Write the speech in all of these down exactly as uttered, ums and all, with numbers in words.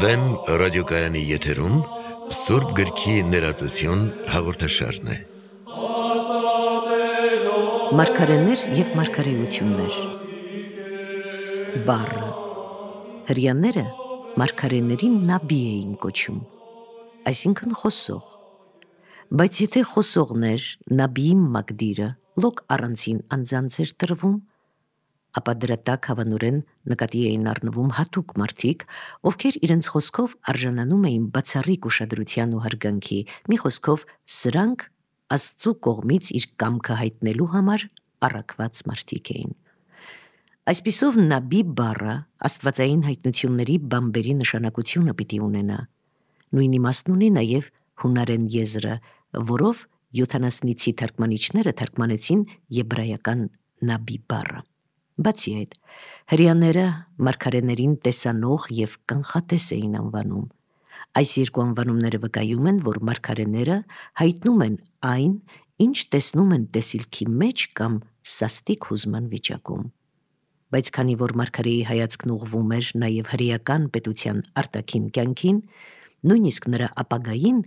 Վեմ ռադիոկայանի եթերում Սուրբ գրքի ներածություն հաղորդաշարն է։ Մարգարեներ և մարգարեություններ։ Բառը հրեաները մարգարեներին նաբի էին կոչում, այսինքն խոսող, բայց եթե խոսողն էր նաբիի մակդիրը լոկ առանձին անձանց էր տրվում, ապա դրա տակ հավանորեն նկատի էին առնվում հատուկ մարդիկ, ովքեր իրենց խոսքով արժանանում էին բացառիկ ուշադրության ու հարգանքի, մի խոսքով սրանք Աստծու կողմից իր կամքը հայտնելու համար առաքված մարդիկ էին։ Այսպիսով նաբի բառը աստվածային հայտնությունների բամբերի նշանակությունը պիտի ունենա։ Նույն իմաստն ունի նաև հունարեն եզրը, որով յոթանասնիցի թարգմանիչները թարգմանեցին եբրայական նաբի բառը։ Բացի այդ, հրեաները մարգարեներին տեսանող և կանխատես էին անվանում։ Այս երկու անվանումները վկայում են, որ մարգարեները հայտնում են այն, ինչ տեսնում են տեսիլքի մեջ կամ սաստիկ հուզման վիճակում։ Բայց քանի որ մարգարեի հայացքն ուղղվում էր նաև հրեական պետության արտաքին կյանքին, նույնիսկ նրա ապագային,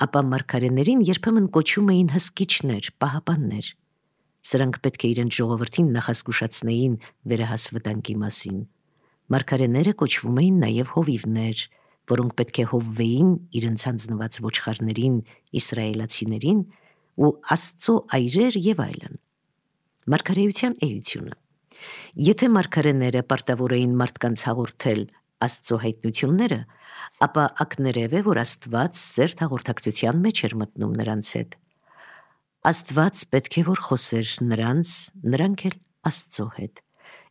ապա մարգարեներին երբեմն կոչում էին հսկիչներ, պահապաններ։ Սրանք պետք է իրենց ժողովրդին նախազգուշացնեին վերահասվտանգի մասին։ Մարգարեները կոչվում էին նաև հովիվներ, որոնք պետք է հովվեին իրենց հանձնված ոչխարներին, իսրայելացիներին ու Աստծո այրեր և այլն։ Մարգարեության էությունը։ Եթե մարգարեները պարտավոր էին մարդկանց հաղորդել Աստծո հայտնությունները, ապա ակներև է, որ Աստված սերտ հաղորդակցության մեջ էր մտնում նրանց հետ։ Աստված պետք է որ խոսեր նրանց, նրանք էլ Աստծո հետ,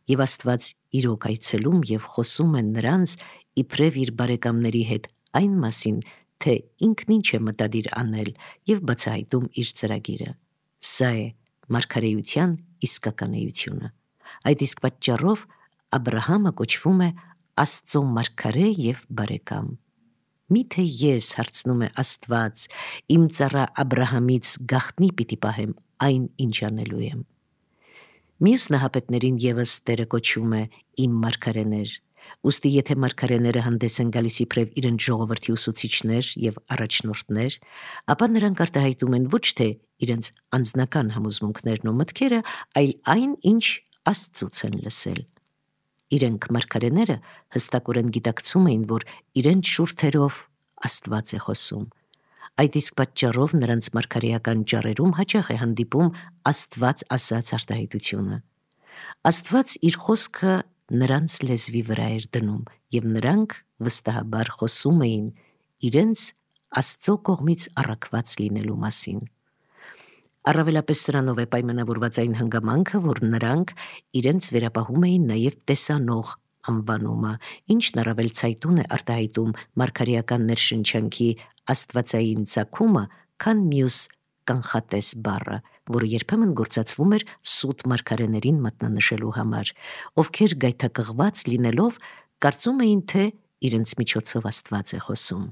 և Աստված իրոք այցելում և խոսում է նրանց իբրև իր բարեկամների հետ այն մասին, թե ինքն ինչ է մտադիր անել և բացահայտում իր ծրագիրը։ Սա է մարգարեության իսկական էությունը։ Այդ իսկ պատճառով Աբրահամը կոչվում է Աստծո մարգարե և բարեկամ։ Միթե ես, հարցնում է Աստված, իմ ծառա Աբրահամից գաղտնի պիտի պահեմ այն, ինչ անելու եմ։ Մյուս նահապետներին ևս Տերը կոչում է իմ մարգարեներ։ Ուստի եթե մարգարեները հանդես են գալիս իբրև իրենց ժողովրդի ուսուցիչներ և առաջնորդներ, ապա նրանք արտահայտում են ոչ թե իրենց անձնական համոզմունքներն ու մտքերը, այլ այն, ինչ Աստծուց են լսել։ Իրենք մարգարեները հստակորեն գիտակցում էին, որ իրենց շուրթերով Աստված է խոսում։ Այդ իսկ պատճառով նրանց մարգարեական ճառերում հաճախ է հանդիպում Աստված ասած արտահայտությունը։ Աստված իր խոսքը նրանց լեզվի վրա էր դնում, և նրանք վստահաբար խոսում էին իրենց Աստծո կողմից առաքված լինելու մասին։ Առավելապես սրանով է պայմանավորված այն հանգամանքը, որ նրանք իրենց վերապահում էին նաև տեսանող անվանումը, ինչն առավել ցայտուն է արտահայտում մարգարեական ներշնչանքի աստվածային ծագումը, քան մյուս կանխատես բառը, որը երբեմն գործածվում էր սուտ մարգարեներին մատնանշելու համար, ովքեր գայթակղված լինելով կարծում էին, թե իրենց միջոցով Աստված է խոսում։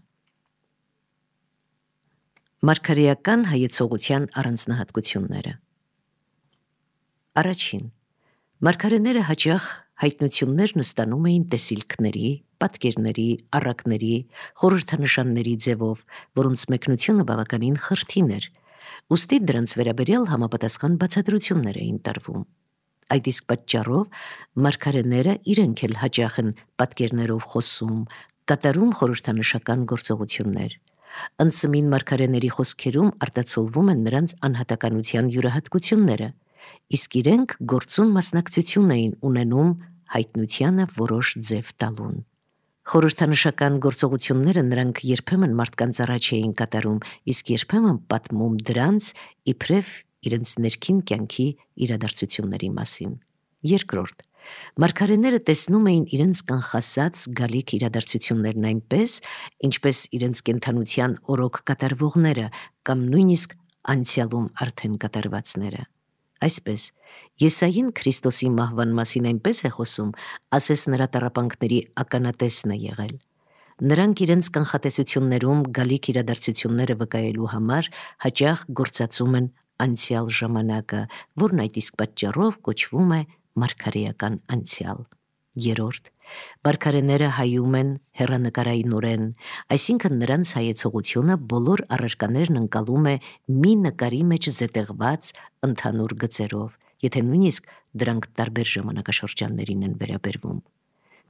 Մարգարեական հայեցողության առանձնահատկությունները։ Առաջին, մարգարեները հաճախ հայտնություններն ստանում էին տեսիլքների, պատկերների, առակների, խորհրդանշանների ձևով, որոնց մեկնությունը բավականին խրթին էր, ուստի դրանց վերաբերյալ համապատասխան բացատրություններ էին տրվում։ Այդ իսկ պատճառով մարգարեները իրենք էլ հաճախ են պատկերներով խոսում, կատարում խորհրդանշական գործողություններ։ Ընծմին մարգարեների խոսքերում արտացոլվում են նրանց անհատականության յուրահատկությունները, իսկ իրենք գործուն մասնակցություն էին ունենում հայտնությանը որոշ ձև տալուն։ Խորհրդանշական գործողությունները նրանք երբեմն մարդկանց առաջ էին կատարում, իսկ երբեմն պատմում դրանց իբրև իրենց ներքին կյանքի իրադարձությունների մասին։ Երկրորդ, մարգարեները տեսնում էին իրենց կանխասած գալիք իրադարձություններն այնպես, ինչպես իրենց կենդանության օրոք կատարվողները կամ նույնիսկ անցյալում արդեն կատարվածները։ Այսպես, Եսային Քրիստոսի մահվան մասին այնպես է խոսում, ասես նրա տառապանքների ականատեսն է եղել։ Նրանք իրենց կանխատեսություններում գալիք իրադարձությունները վկայելու համար հաճախ գործածում են անցյալ ժամանակը, որն այդ իսկ պատճառով կոչվում է մարգարեական անցյալ։ Երորդ, մարգարեները հայում են հեռանկարայնորեն, այսինքն նրանց հայեցողությունը բոլոր առարկաներն ընկալում է մի նկարի մեջ զետեղված ընդհանուր գծերով, եթե նույնիսկ դրանք տարբեր ժամանակաշրջաններին են վերաբերվում։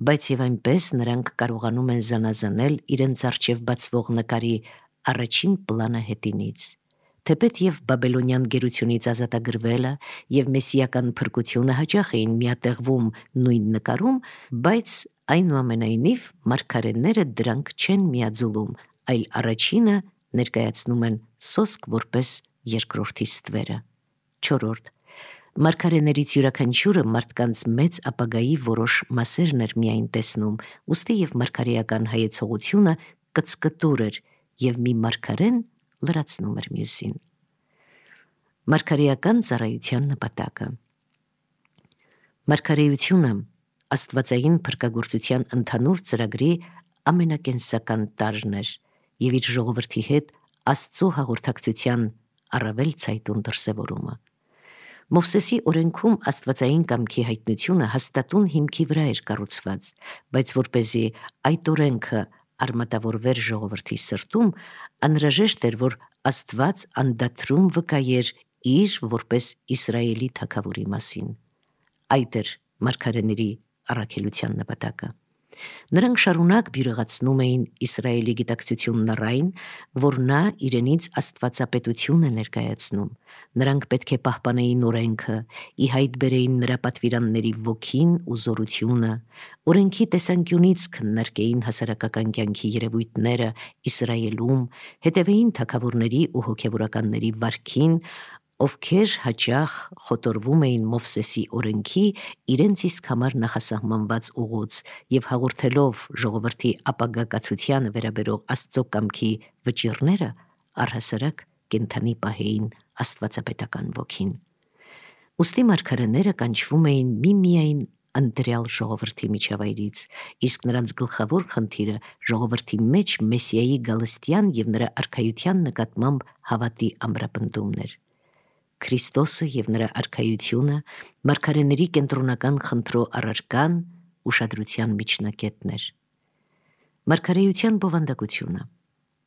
Բայց եւ այնպես նրանք կարողանում են զանազանել իրենց առջև բացվող նկարի առաջին պլանը հետինից։ Թեպետ եւ բաբելոնյան գերությունից ազատագրվելը եւ մեսիական փրկությունը հաճախ էին միատեղվում նույն նկարում, բայց այնուամենայնիվ մարգարեները դրանք չեն միաձուլում, այլ առաջինը ներկայացնում են սոսկ որպես երկրորդի ստվերը։ Չորրորդ, մարգարեներից յուրաքանչյուրը մարդկանց մեծ ապագայի որոշ մասերն էր միայն տեսնում, ուստի եւ մարգարեական հայեցողությունը կծկտուր էր եւ մի մարգարեն լրացնում էր մյուսին։ Մարգարեական ծառայության նպատակը։ Մարգարեությունը աստվածային փրկagorցության ընդհանուր ծրագրի ամենակենսական տարրն էր եւ իր ժողովրդի հետ Աստծո հաղորդակցության առավել ցայտուն դրսևորումը։ Մովսեսի օրենքում աստվածային կամքի հայտնությունը հաստատուն հիմքի վրա էր կառուցված, բայց որպեսզի այդ օրենքը արմատավորվեր ժողովրդի սրտում, անհրաժեշտ էր, որ Աստված անդադրում վկայեր իր որպես Իսրայելի թագավորի մասին։ Այդ էր մարգարեների առաքելության նպատակը։ Նրանք շարունակ բյուրեղացնում էին Իսրայելի գիտակցությունն առայն, որ նա իրենից աստվածապետություն է ներկայացնում։ Նրանք պետք է պահպանեին օրենքը, ի հայտ բերեին նրա պատվիրանների ոգին ու զորությունը, օրենքի տեսանկյունից քննարկեին հասարակական կյանքի երևույթները Իսրայելում, հետևեին թագավորների ու հոգևորականների վարքին, ովքեր հաճախ խոտորվում էին Մովսեսի օրենքի իրենց իսկ համար նախասահմանված ուղուց եւ հաղորդելով ժողովրդի ապագա կացությանը վերաբերող Աստծո կամքի վճիռները առհասարակ կենթանի պահեին աստվածապետական ոգին։ Ուստի մարգարեները կանչվում էին միմիայն ընտրյալ ժողովրդի միջավայրից, իսկ նրանց գլխավոր խնդիրը ժողովրդի մեջ մեսիայի գալստյան եւ նրա արքայության նկատմամբ հավատի ամրապնդումն էր։ Քրիստոսը եւ նրա արքայությունը մարգարեների կենտրոնական խնդրո առարկան ուշադրության միջնակետն էր։ Մարգարեության բովանդակությունը։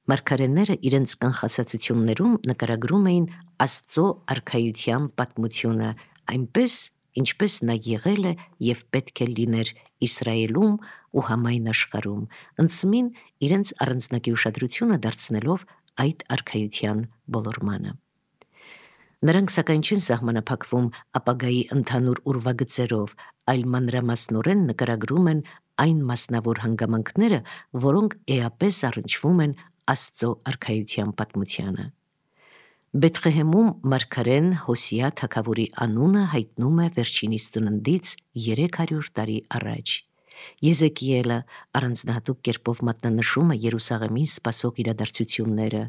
Մարգարեները իրենց կանխասացություններում նկարագրում էին Աստծո արքայության պատմությունը այնպես, ինչպես նա եղել է եւ պետք է լիներ Իսրայելում ու համայն աշխարհում, ընծմին իրենց առանձնակի ուշադրությունը դարձնելով այդ արքայության ոլորմանը։ Նրանք սակայն չեն սահմանափակվում ապագայի ընդհանուր ուրվագծերով, այլ մանրամասնորեն նկարագրում են այն մասնավոր հանգամանքները, որոնք էապես առնչվում են Աստծո արքայության պատմությանը։ Բեթղեհեմում մարգարեն Հոսիա թագավորի անունը հայտնում է վերջինիս ծննդից երեք հարյուր տարի առաջ։ Եզեկիելը առանձնահատուկ կերպով մատնանշում է Երուսաղեմին սպասող իրադարձությունները։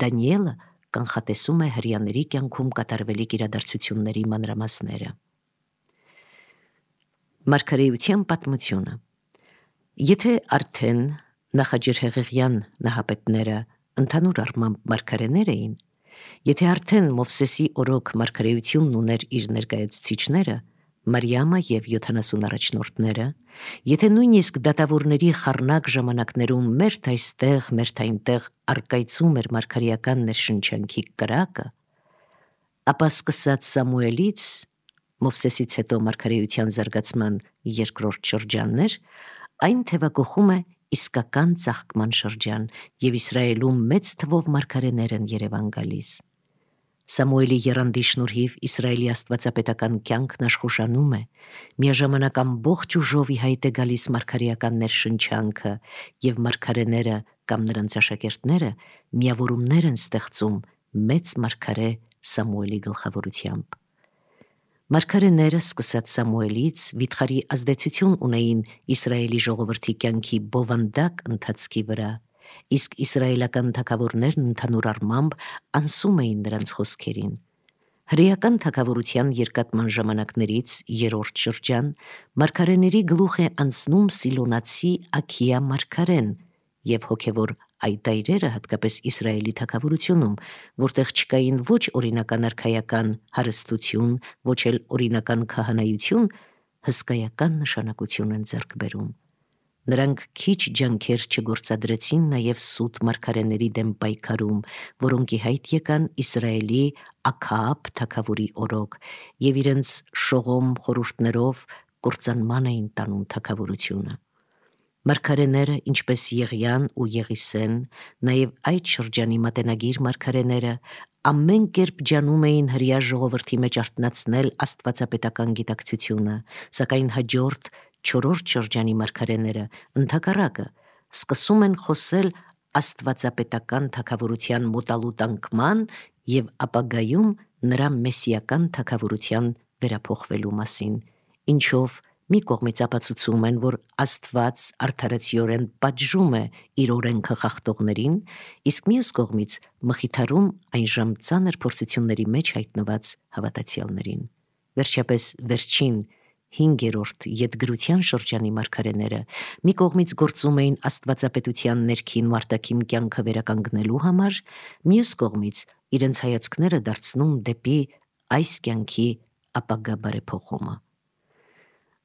Դանիելը կանխատեսում է հրեաների կյանքում կատարվելիք իրադարձությունների մանրամասները։ Մարգարեության պատմությունը։ Եթե արդեն նախաջրհեղեղյան նահապետները ընդհանուր առմամբ մարգարեներ էին, եթե արդեն Մովսեսի օրոք մարգարեությունն ուներ իր ներկայացուցիչները, Մարիամը եւ յոթանասուն առաջնորդները, եթե նույնիսկ դատավորների խառնակ ժամանակներում մերթ այստեղ, մերթ այնտեղ արկայծում էր մարգարեական ներշնչանքի կրակը, ապա սկսած Սամուելից, Մովսեսից հետո մարգարեության զարգացման երկրորդ շրջաններ, այն թևակողում է իսկական ծաղկման շրջան եւ Իսրայելում մեծ թվով մարգարեներ են Երևան գալիս։ Սամուելի եռանդի շնորհիվ Իսրայելի աստվածապետական կյանքն աշխուժանում է, միաժամանակ ամբողջ ուժով ի հայտ է գալիս մարգարեական ներշնչանքը եւ մարգարեները կամ նրանց աշակերտները միավորումներ են ստեղծում մեծ մարգարե Սամուելի գլխավորությամբ։ Մարգարեները սկսած Սամուելից վիթխարի ազդեցություն ունեին Իսրայելի ժողովրդի կյանքի բովանդակ ընթացքի վրա, իսկ իսրայելական թագավորներն ընդհանուր առմամբ անսում էին նրանց խոսքերին։ Հրեական թագավորության երկատման ժամանակներից երրորդ շրջան մարգարեների գլուխ է անցնում Սիլոնացի Աքիա մարգարեն եւ հոգևոր այդ այրերը հատկապես Իսրայելի թագավորությունում, որտեղ չկային ոչ օրինական արքայական հարստություն, ոչ էլ օրինական քահանայություն, հսկայական նշանակություն են ձեռք բերում։ Նրանք քիչ ջանքեր չգործադրեցին նաև սուտ մարգարեների դեմ պայքարում, որոնք ի հայտ եկան Իսրայելի Աքաաբ թագավորի օրոք եւ իրենց շողոմ խորհուրդներով կործանման էին տանում թագավորությունը։ Մարգարեները, ինչպես Եղիան ու Եղիսեն, նաև այդ շրջանի մատենագիր մարգարեները, ամեն կերպ ջանում էին հրեա ժողովրդի մեջ արթնացնել աստվածապետական գիտակցությունը, սակայն հաջորդ չորրորդ շրջանի մարգարեները ընդհակառակը սկսում են խոսել աստվածապետական թագավորության մոտալուտանքման եւ ապագայում նրա մեսիական թագավորության վերափոխվելու մասին, ինչով մի կողմից ապացուցում են, որ Աստված արդարացիորեն պատժում է իր օրենքը խախտողներին, իսկ մյուս կողմից մխիթարում այնժամ ծանր փորձությունների մեջ հայտնված հավատացյալներին։ Վերջապես վերջին հինգերորդ ետգրության շրջանի մարգարեները մի կողմից գործում էին աստվածապետության ներքին ու արտաքին կյանքը վերականգնելու համար, մյուս կողմից իրենց հայացքները դարձնում դեպի այս կյանքի ապագա բարեփոխումը։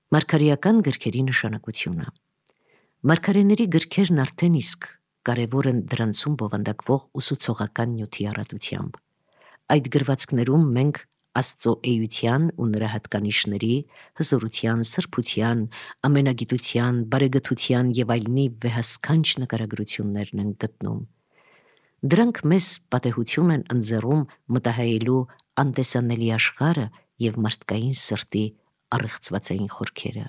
Մարգարեական գրքերի նշանակությունը։ Մարգարեների գրքերն արդեն իսկ կարևոր են դրանցում բովանդակվող ուսուցողական նյութի առատությամբ։ Այդ գրվածքներում մենք Աստծո էության ու նրա հատկանիշների, հզորության, սրբության, ամենագիտության, բարեգթության եւ այլնի վեհասքանչ նկարագրություններն են գտնում։ Դրանք մեզ պատեհություն են ընձեռում մտահայելու անտեսանելի աշխարհը եւ մարդկային սրտի առեղծվածային խորքերը։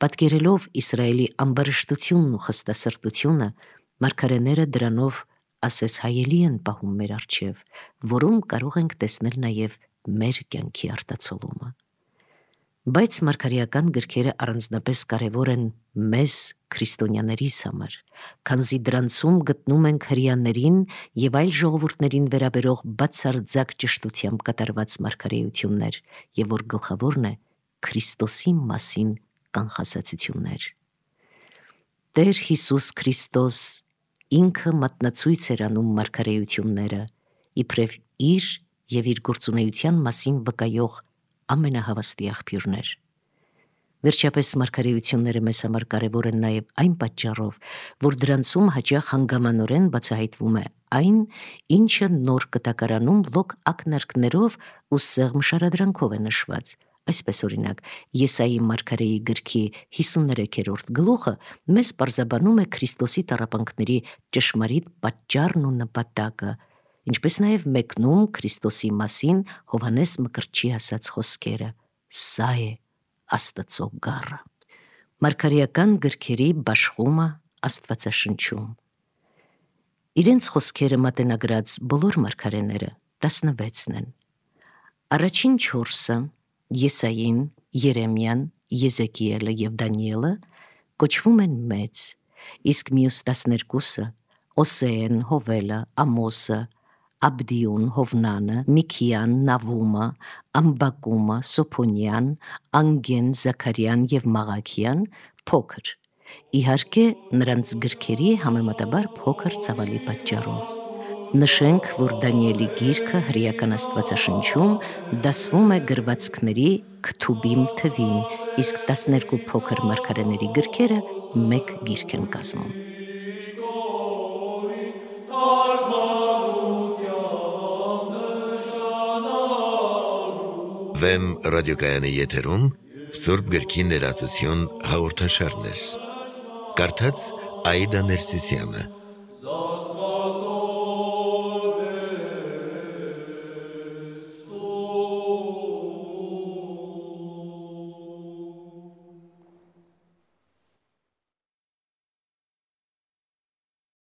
Պատկերելով Իսրայելի ամբարշտությունն ու խստասրտությունը, մարգարեները դրանով ասես հայելի են պահում մեր առջև, որում կարող ենք տեսնել նաև մեր կյանքի արտացոլումը։ Բայց մարգարեական գրքերը առանձնապես կարևոր են մեզ քրիստոնյաներիս համար, քանզի դրանցում գտնում ենք հրեաներին եւ այլ ժողովուրդներին վերաբերող բացարձակ ճշտությամբ կատարված մարգարեություններ, եւ որ գլխավորն է Քրիստոսի մասին կանխասացություններ։ Տեր Հիսուս Քրիստոս ինքը մատնացույց էր անում մարգարեությունները, իբրև իր եւ իր գործունեության մասին վկայող ամենահավաստի աղբյուրներ։ Վերջապես մարգարեությունները մեզ համար կարևոր են նաև այն պատճառով, որ դրանցում հաճախ հանգամանորեն բացահայտվում է այն, ինչը նոր կտակարանում լոկ ակնարկներով ու սեղմ շարադրանքով է նշված։ Այսպես օրինակ, Եսայի մարգարեի գրքի հիսուներեքերորդ գլուխը մեզ պարզաբանում է Քրիստոսի տառապանքների ճշմարիտ պատճառն ու նպատակը, ինչպես նաև մեկնում Քրիստոսի մասին Հովհաննես Մկրտչի ասած խոսքերը. «Սա է Աստծո գառը»։ Մարգարեական գրքերի բաշխումը Աստվածաշնչում։ Իրենց խոսքերը մատենագրած բոլոր մարգարեները տասնվեցն են։ Առաջին չորսը Եսային, Երեմիան, Եզեկիելը եւ Դանիելը կոչվում են մեծ, իսկ մյուս տասներկուսը Օսեեն, Հովելը, Ամոսը, Աբդիուն, Հովնանը, Միքիան, Նավումը, Ամբակումը, Սոփոնյան, Անգեն, Զաքարյան եւ Մաղաքիան փոքր, իհարկե նրանց գրքերի համեմատաբար փոքր ծավալի պատճառով։ Նշենք, որ Դանիելի գիրքը հրեական Աստվածաշնչում դասվում է գրվածքների քթուբիմ թվին, իսկ տասներկու փոքր մարգարեների գրքերը մեկ գիրք են կազմում։ Վեմ ռադիոկայանի եթերում Սուրբ գրքի ներածություն հաղորդաշարներ։ Կարդաց Աիդա Ներսիսյանը։